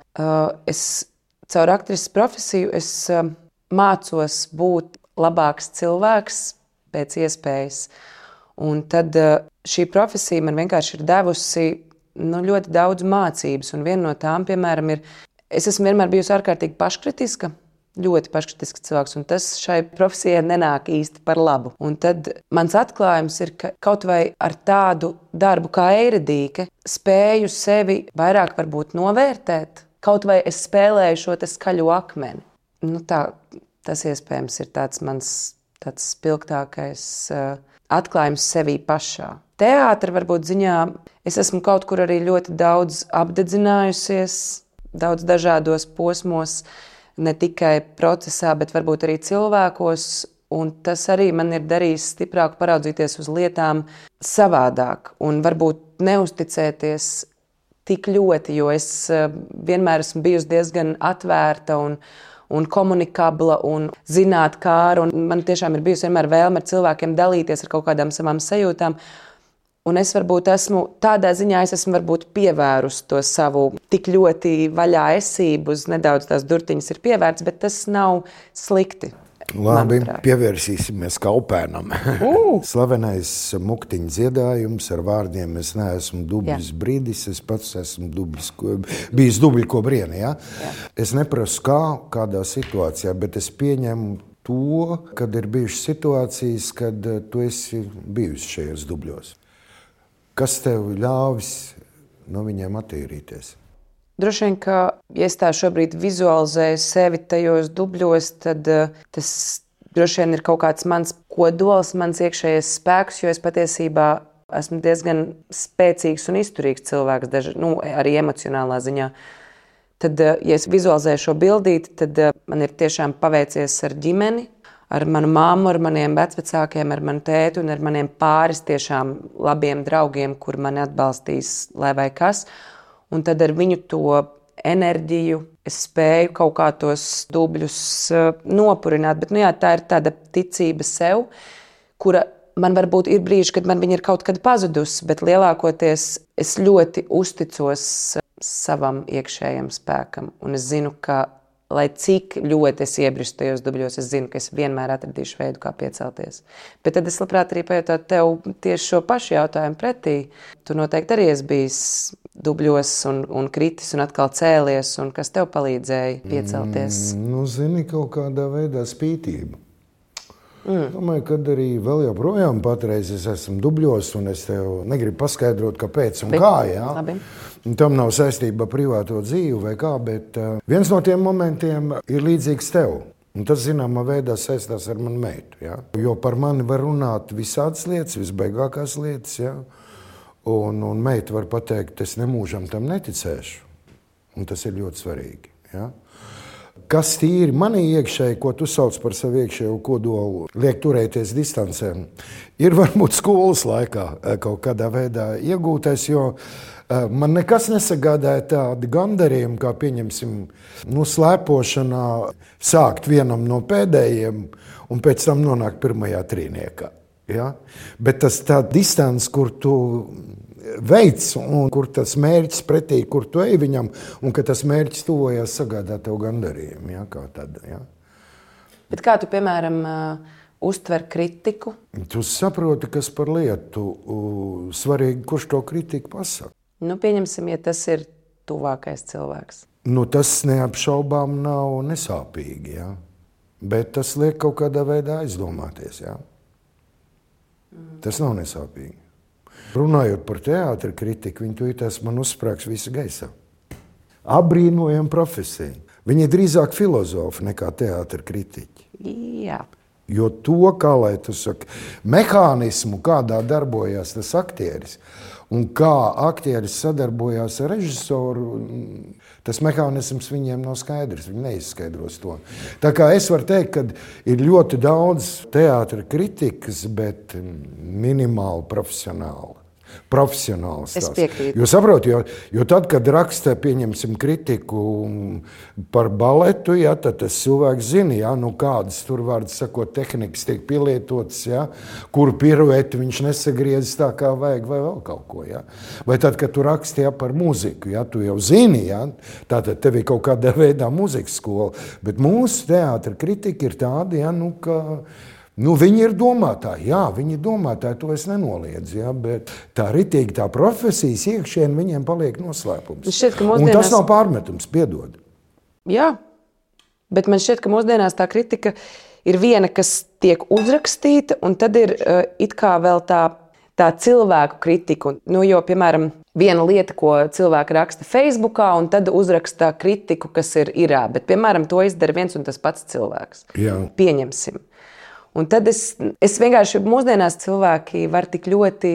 es caur aktrises profesiju es uh, mācos būt labāks cilvēks pēc iespējas. Un tad uh, šī profesija man vienkārši ir devusi nu, ļoti daudz mācības. Un viena no tām, piemēram, ir, es esmu vienmēr bijusi ārkārtīgi paškritiska. Ļoti paškritisks cilvēks, un tas šai profesijai nenāk īsti par labu. Un tad mans atklājums ir, ka kaut vai ar tādu darbu kā Eiredīke spēju sevi vairāk varbūt novērtēt, kaut vai es spēlēju šo te skaļo akmeni. Nu tā, tas iespējams ir tāds mans tāds spilgtākais uh, atklājums sevī pašā. Teātra varbūt ziņā es esmu kaut kur arī ļoti daudz apdedzinājusies, daudz dažādos posmos, ne tikai procesā, bet varbūt arī cilvēkos, un tas arī man ir darījis stiprāk paraudzīties uz lietām savādāk un varbūt neusticēties tik ļoti, jo es vienmēr esmu bijusi diezgan atvērta un, un komunikabla un zinātkāra, un man tiešām ir bijusi vienmēr vēlme ar cilvēkiem dalīties ar kaut kādām savām sajūtām. Un es varbūt esmu, tādā ziņā es esmu varbūt pievērus to savu tik ļoti vaļā esību, uz nedaudz tās durtiņas ir pievērts, bet tas nav slikti. Labi, manuprāt. Pievērsīsimies Kaupēnam. Uh! Slavenais muktiņa dziedājums ar vārdiem es neesmu dubļs brīdis, es pats esmu dubļs, bijis dubļi ko brieni, ja? Jā. Es neprasu kā, kādā situācijā, bet es pieņemu to, kad ir bijušas situācijas, kad tu esi bijusi šajos dubļos. Kas tev ļāvis no viņiem attīrīties? Droši vien, ka, ja es tā šobrīd vizualizēju sevi tajos dubļos, tad uh, tas droši vien ir kaut kāds mans kodols, mans iekšējais spēks, jo es patiesībā esmu diezgan spēcīgs un izturīgs cilvēks, daži, nu, arī emocionālā ziņā. Tad, uh, ja es vizualizēju šo bildīti, tad uh, man ir tiešām paveicies ar ģimeni, ar manu māmu, ar maniem vecvecākiem, ar manu tēti un ar maniem pāris tiešām labiem draugiem, kur mani atbalstīs, lai vai kas. Un tad ar viņu to enerģiju es spēju kaut kā tos dubļus uh, nopurināt. Bet nu jā, tā ir tāda ticība sev, kura man varbūt ir brīži, kad man viņa ir kaut kad pazudusi, bet lielākoties es ļoti uzticos savam iekšējam spēkam. Un es zinu, ka lai cik ļoti es iebristu tajos dubļos, es zinu, ka es vienmēr atradīšu veidu, kā piecelties. Bet tad es labprāt arī pajautātu tev tieši šo pašu jautājumu pretī. Tu noteikti arī esi bijis dubļos un, un kritis un atkal cēlies, un kas tev palīdzēja piecelties? Mm, nu, zini, kaut kādā veidā spītība. Mm. Domāju, kad arī vēl joprojām patreiz es esmu dubļos, un es tev negribu paskaidrot, kāpēc un Bet, kā, jā. Labi. Un tam nav saistība ar privāto dzīvi vai kā, bet uh, viens no tiem momentiem ir līdzīgs tev. Un tas, zināmā veidā, saistās ar manu meitu. Ja? Jo par mani var runāt visādas lietas, visbaigākās lietas. Ja? Un, un meita var pateikt, es nemūžam tam neticēšu. Un tas ir ļoti svarīgi. Ja? Kas tīri manī iekšēji, ko tu sauc par savu iekšējo kodolu, liek turēties distancēm, ir varbūt skolas laikā kaut kādā veidā iegūtais, jo Man nekas nesagādāja tādu gandarījumu, kā pieņemsim, nu, slēpošanā sākt vienam no pēdējiem un pēc tam nonākt pirmajā trīniekā. Ja? Bet tas tā distance, kur tu veids un kur tas mērķis pretī, kur tu ej viņam, un ka tas mērķis tuvojās, sagādā tev gandarījumu. Ja? Kā tad, ja? Bet kā tu, piemēram, uztver kritiku? Tu saproti, kas par lietu, svarīgi, kurš to kritiku pasaka. Nu, pieņemsim, ja tas ir tuvākais cilvēks. Nu, tas neapšaubām nav nesāpīgi, ja? Bet tas liek kaut kādā veidā aizdomāties. Ja? Mm. Tas nav nesāpīgi. Runājot par teātra kritiku, viņi tūlītās man uzsprāgs visa gaisā. Abrīnojam profesiju. Viņi ir drīzāk filozofi nekā teātra kritiķi. Jā. Jo to, kā lai tu saki, mehānismu, kādā darbojās tas aktieris, un kā aktieris sadarbojās ar režisoru, tas mehānisms viņiem nav skaidrs, viņi neizskaidros to. Tā kā es varu teikt, ka ir ļoti daudz teātra kritikas, bet minimāli profesionāli. Profesionāls es tās. piekrītu. Jo saproti, jo, jo tad, kad raksta, pieņemsim kritiku par baletu, ja, tad tas cilvēks zina, ja, nu kādas tur vārds sakot tehnikas tiek pielietotas, ja, kuru pirueti viņš nesagriezis tā kā vajag vai vēl kaut ko. Ja. Vai tad, kad tu raksti ja, par muziku, ja, tu jau zini, ja, tātad tev ir kaut kādā veidā muzikas skola, bet mūsu teātra kritika ir tāda, ja, nu, ka Nu, viņi ir domātāji, jā, viņi ir domātāji, to es nenoliedzu, jā, bet tā ritīgi, tā profesijas iekšieni viņiem paliek noslēpums. Šķiet, mūsdienās... Un tas nav pārmetums, piedod. Jā, bet man šķiet, ka mūsdienās tā kritika ir viena, kas tiek uzrakstīta, un tad ir uh, it kā vēl tā, tā cilvēku kritika. Nu, jo, piemēram, viena lieta, ko cilvēki raksta Facebookā, un tad uzraksta kritiku, kas ir irā, bet, piemēram, to izdara viens un tas pats cilvēks. Jā. Pieņemsim. Un tad es, es vienkārši mūsdienās cilvēki var tik ļoti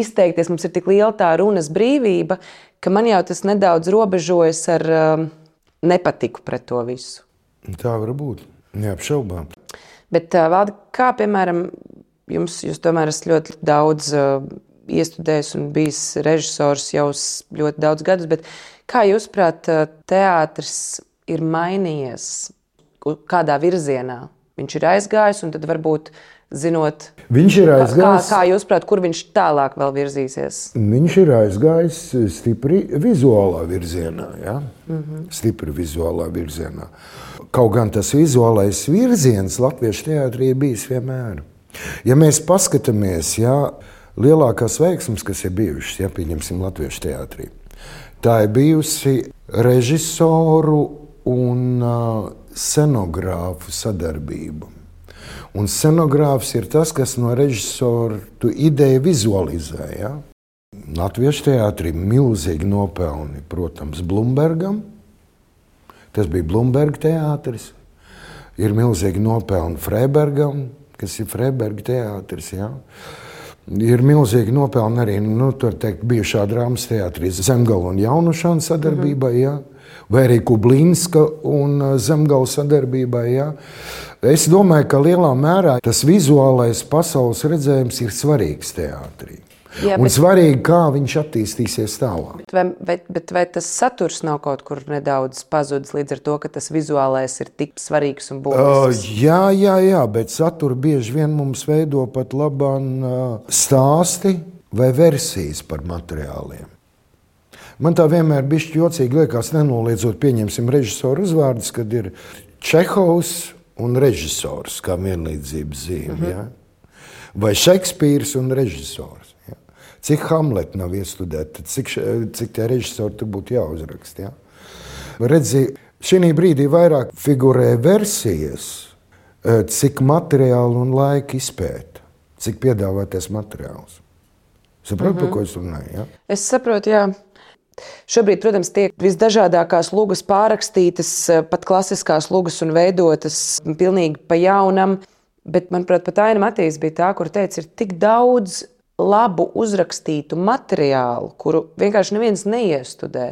izteikties, mums ir tik liela tā runas brīvība, ka man jau tas nedaudz robežojas ar um, nepatiku pret to visu. Tā var būt, neapšaubām. Bet uh, Valdi, kā piemēram, jums, jūs tomēr esat ļoti daudz uh, iestudējis un bijis režisors jau ļoti daudz gadus, bet kā jūs prāt, teātris ir mainījies kādā virzienā? Viņš ir aizgājis, un tad varbūt zinot, viņš ir aizgājis, kā, kā jūs prāt, kur viņš tālāk vēl virzīsies? Viņš ir aizgājis stipri vizuālā virzienā, ja? Mm-hmm. Stipri vizuālā virzienā. Kaut gan tas vizuālais virziens latviešu teātrī ir bijis vienmēr. Ja mēs paskatāmies, ja, lielākās veiksmes, kas ir bijušas, ja pieņemsim latviešu teātrī, tā ir bijusi režisoru un uh, scenogrāfu sadarbība. Un scenogrāfs ir tas, kas no režisora tu ideju vizualizē. Ja? Latviešu teātrī milzīgi nopelni, protams, Blumbergam. Tas bija Blumberga teātris. Ir milzīgi nopelni Freibergam, kas ir Freiberga teātris. Ja? Ir milzīgi nopelni arī, nu, tur teikt, bijušā drāmas teātrī Zemgala un Jaunušana sadarbībai, mm-hmm. ja? Vai arī Kublinska un Zemgala sadarbībai. Ja? Es domāju, ka lielā mērā tas vizuālais pasaules redzējums ir svarīgs teātrī. Jā, un bet... svarīgi, kā viņš attīstīsies tālāk. Bet vai, bet, bet vai tas saturs nav kaut kur nedaudz pazudis līdz ar to, ka tas vizuālais ir tik svarīgs un būtisks? Uh, jā, jā, jā, bet saturu bieži vien mums veido pat labāk uh, stāsti vai versijas par materiāliem. Man tā vienmēr bišķi jocīgi liekas, nenoliedzot, pieņemsim režisoru uzvārdus, kad ir Čehovs un režisors kā vienlīdzības zīme. Mm-hmm. Ja? Vai Šekspīrs un režisors. Ja? Cik Hamlet nav iestudēta, cik, cik tie režisori tur būtu jāuzrakst. Ja? Redzi, šī brīdī vairāk figurē versijas, cik materiālu un laika izpēta, cik piedāvātais materiāls. Saproti, mm-hmm. par ko es runāju? Ja? Es saprotu, jā. Šobrīd, protams, tiek visdažādākās lugas pārrakstītas, pat klasiskās lugas un veidotas pilnīgi pa jaunam, bet, manuprāt, pat Aina Matīs bija tā, kur teica, ir tik daudz labu uzrakstītu materiālu, kuru vienkārši neviens neiestudē.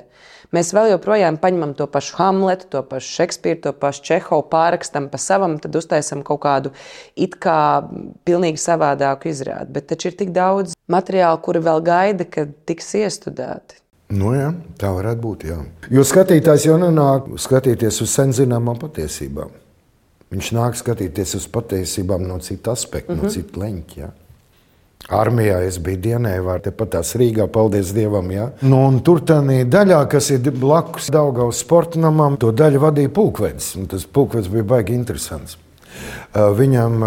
Mēs vēl joprojām paņemam to pašu Hamletu, to pašu Šekspīru, to pašu Čehovu, pārrakstam pa savam, tad uztaisam kaut kādu it kā pilnīgi savādāku izrādi. Bet taču ir tik daudz materiālu, kuri vēl gaida, kad tiks iestudēti. Nu jā, tā varētu būt, jā. Jo skatītājs jau nenāk skatīties uz sen zināmām patiesībām. Viņš nāk skatīties uz patiesībām no cita aspekta, mm-hmm. no cita leņķa, jā. Armijā es biju Dienēvā, tepat tās Rīgā, paldies Dievam, jā. Nu, un tur tādā daļā, kas ir blakus Daugavas sporta namam, to daļu vadīja pulkvedis, un tas pulkvedis bija baigi interesants. Viņam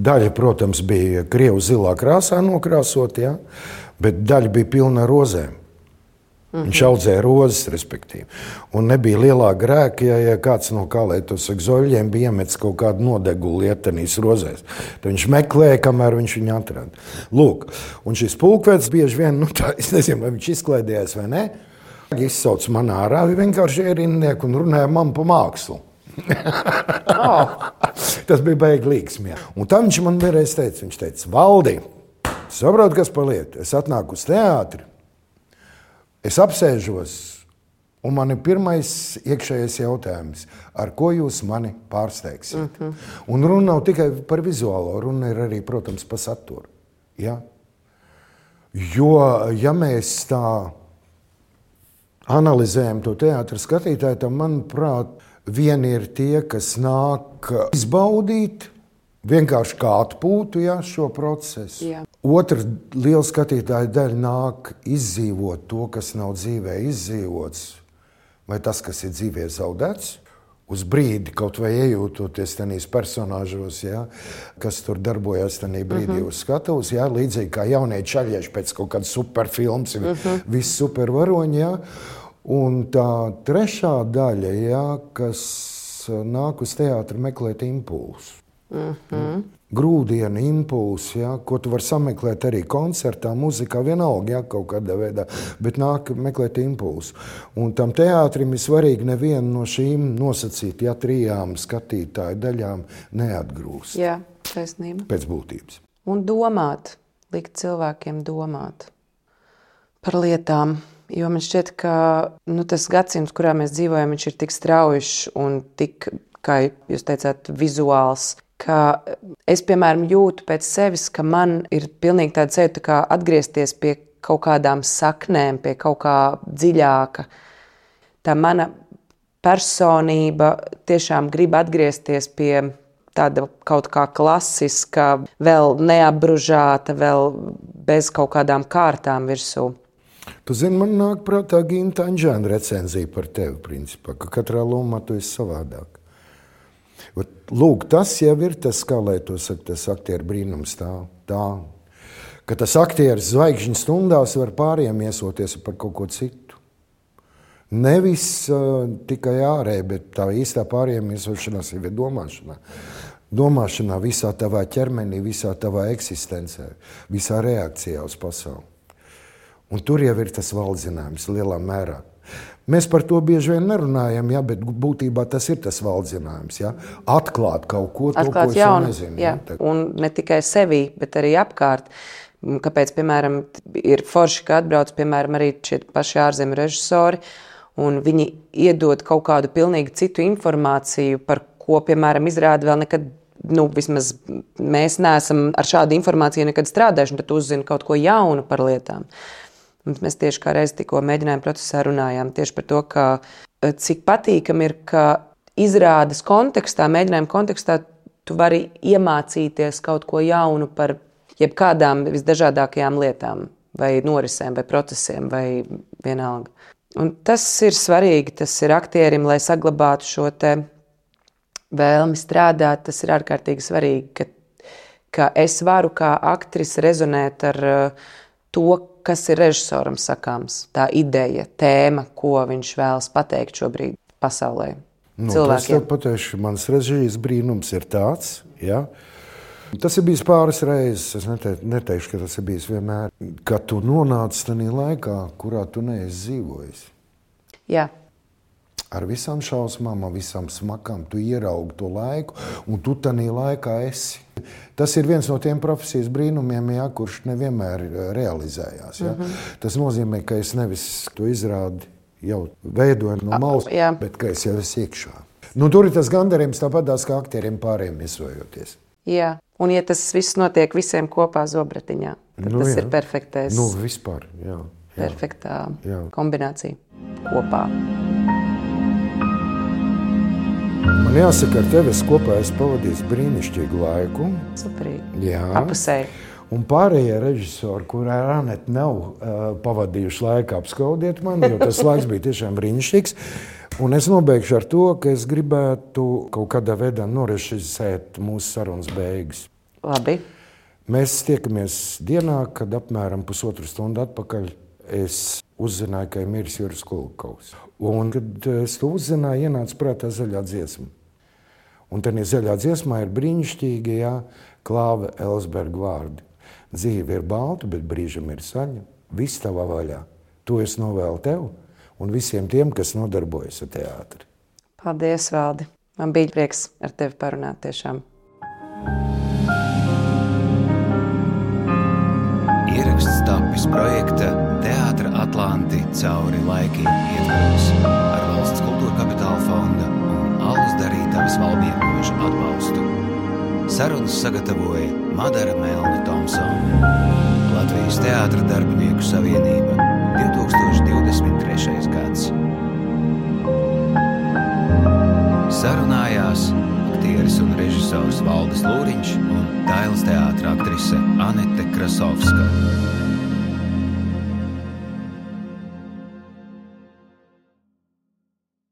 daļa, protams, bija krievu zilā krāsā nokrāsot, jā, bet daļa bija pilna rozēm. Mm-hmm. Viņš audzēja rozes, respektīvi. Un nebija lielā grēka, ja, ja kāds no kā, lai tos zoļiem bija iemetis kaut kādu nodegulu ietenīs rozēs. Tad viņš meklēja, kamēr viņš viņu atrada. Lūk, un šis pulkvedis bieži vien, nu tā, es nezinu, vai viņš izklaidējās vai ne, izsauc man ārā, vienkārši ierindnieku un runāja man pa mākslu. oh. Tas bija baigi līgsmi. Un tā viņš man vienreiz teica, viņš teica, Valdi, saprot, kas par lietu, es atnāku uz teātri, es apsēžos, un man ir pirmais iekšējais jautājums, ar ko jūs mani pārsteigsiet. Mm-hmm. Un runa nav tikai par vizuālo, runa ir arī, protams, par saturu. Ja? Jo, ja mēs tā analizējam to teātra skatītāju, tad, manuprāt, vieni ir tie, kas nāk izbaudīt, vienkārši kā atpūtu, ja, šo procesu. Jā. Otra liela skatītāja daļa nāk izdzīvot to, kas nav dzīvē izdzīvots, vai tas, kas ir dzīvē zaudēts, uz brīdi kaut vai iejūtoties tenīs personāžos, ja, kas tur darbojas tenī brīdī mm-hmm. uz skatuves, ja, līdzīgi kā jaunie čaļieši pēc kaut kādas superfilms, mm-hmm. viss supervaroņi, ja. Un tā trešā daļa, ja, kas nāk uz teātri meklēt impulsu. Mm-hmm. Grūdienu impulsu, ja, ko tu vari sameklēt arī koncertā, muzikā, vienalga, ja, kaut kādā veidā, bet nāk meklēt impulsu. Un tam teātrim ir svarīgi nevienu no šīm nosacīt, ja trijām skatītāju daļām neatgrūst. Jā, taisnība. Pēc būtības. Un domāt, likt cilvēkiem domāt par lietām. Jo man šķiet, ka nu, tas gadsimts, kurā mēs dzīvojam, viņš ir tik straujišs un tik, kā jūs teicāt, vizuāls, ka es, piemēram, jūtu pēc sevis, ka man ir pilnīgi tāda sajūta, kā atgriezties pie kaut kādām saknēm, pie kaut kā dziļāka. Tā mana personība tiešām grib atgriezties pie tāda kaut kā klasiska, vēl neapbružāta, vēl bez kaut kādām kārtām virsū. Tu zini, man nāk prātā Ginta Anģēna recenzija par tevi, principā, ka katrā lomā tu esi savādāk. Lūk, tas jau ir tas, kā lai to saka, tas aktieru brīnums tā, tā, ka tas aktieris zvaigžņu stundās var pāriem iesoties par kaut ko citu. Nevis uh, tikai ārēji, bet tā īstā pāriem iesošanās ir domāšanā. Domāšanā visā tavā ķermenī, visā tavā eksistencē, visā reakcijā uz pasauli. Un tur jau ir tas valdzinājums lielā mērā. Mēs par to bieži vien nerunājam, ja, bet būtībā tas ir tas valdzinājums. Ja. Atklāt kaut ko, to, Atklāt ko es jaunu, nezinu. Jā. Ja. Un ne tikai sevī, bet arī apkārt. Kāpēc, piemēram, ir forši, ka atbrauc, piemēram, arī šie paši ārzemju režisori, un viņi iedod kaut kādu pilnīgi citu informāciju, par ko, piemēram, izrāda vēl nekad, nu, vismaz mēs neesam ar šādu informāciju nekad strādājuši, un tad uzzina kaut ko jaunu par lietām. Un mēs tieši kā reiz tikko mēģinājuma procesā runājām tieši par to, ka cik patīkam ir, ka izrādes kontekstā, mēģinājuma kontekstā tu vari iemācīties kaut ko jaunu par jebkādām visdažādākajām lietām, vai norisēm, vai procesiem, vai vienalga. Un tas ir svarīgi, tas ir aktierim, lai saglabātu šo te vēlmi strādāt, tas ir ārkārtīgi svarīgi, ka, ka es varu kā aktris rezonēt ar to, kas ir režisoram sakāms, tā ideja, tēma, ko viņš vēlas pateikt šobrīd pasaulē. Nu, tas tev pateikšu, mans režijas brīnums ir tāds, ja? Tas ir bijis pāris reizes, es nete, neteikšu, ka tas ir bijis vienmēr, ka tu nonāc tajā laikā, kurā tu neesi dzīvojis. Jā. Ar visām šausmām, ar visām smakām, tu ieraugi to laiku, un tu tajā laikā esi. Tas ir viens no tiem profesijas brīnumiem, ja, kurš nevienmēr realizējās. Ja. Mm-hmm. Tas nozīmē, ka es nevis to izrādi jau veidoju no malas, A, bet ka es jau esmu iekšā. Nu, tur ir tas gandarījums tāpatās kā aktieriem pārējiem iesojoties. Jā, un ja tas viss notiek visiem kopā zobratiņā, tad nu, tas jā. ir perfektais. Nu, vispār, jā. perfektā Jā. kombinācija kopā. Man jāsaka, ar tevi es kopā esmu pavadījis brīnišķīgu laiku. Superīgi. Jā. Apusēji. Un pārējie režisori, kurā ar Anetu nav uh, pavadījuši laiku, apskaudiet mani, jo tas laiks bija tiešām brīnišķīgs. Un es nobeigšu ar to, ka es gribētu kaut kādā veidā norežisēt mūsu sarunas beigas. Labi. Mēs tiekamies dienā, kad apmēram pusotru stundu atpakaļ es uzzināju, ka ir miris Juris Kulkovs. Un, kad es to uzzināju, ienāca prātā zaļā dziesma. Un tad zaļā dziesmā ir brīnišķīgi, jā, Klāva Elsberga vārdi. Dzīve ir balta, bet brīžam ir saļa. Viss tavā vaļā. To es novēlu tev un visiem tiem, kas nodarbojas ar teātri. Paldies, Valdi. Man bija prieks ar tevi parunāt tiešām. Ieraksts tapis projekta Teātra Atlanti cauri laikiem ietvaros ar Valsts kultūra kapitāla fonda un Allas Darītavas Valmiermoža atbalstu. Sarunas sagatavoja Madara Melna Tomsona. Latvijas Teātra darbinieku savienība divtūkstoš divdesmit trešais gads. Sarunājās aktieris un režisors Valdis Lūriņš un Dailes teātra aktrise Anete Krasovska.